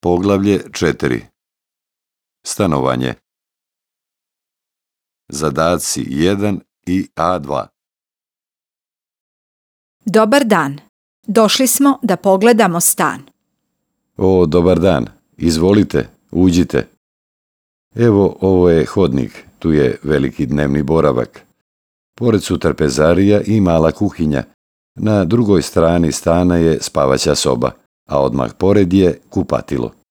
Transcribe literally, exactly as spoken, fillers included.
Poglavlje četiri. Stanovanje. Zadaci jedan i A dva. Dobar dan. Došli smo da pogledamo stan. O, dobar dan. Izvolite, uđite. Evo, ovo je hodnik. Tu je veliki dnevni boravak. Pored su trpezarija i mala kuhinja. Na drugoj strani stana je spavaća soba, a odmah pored je kupatilo.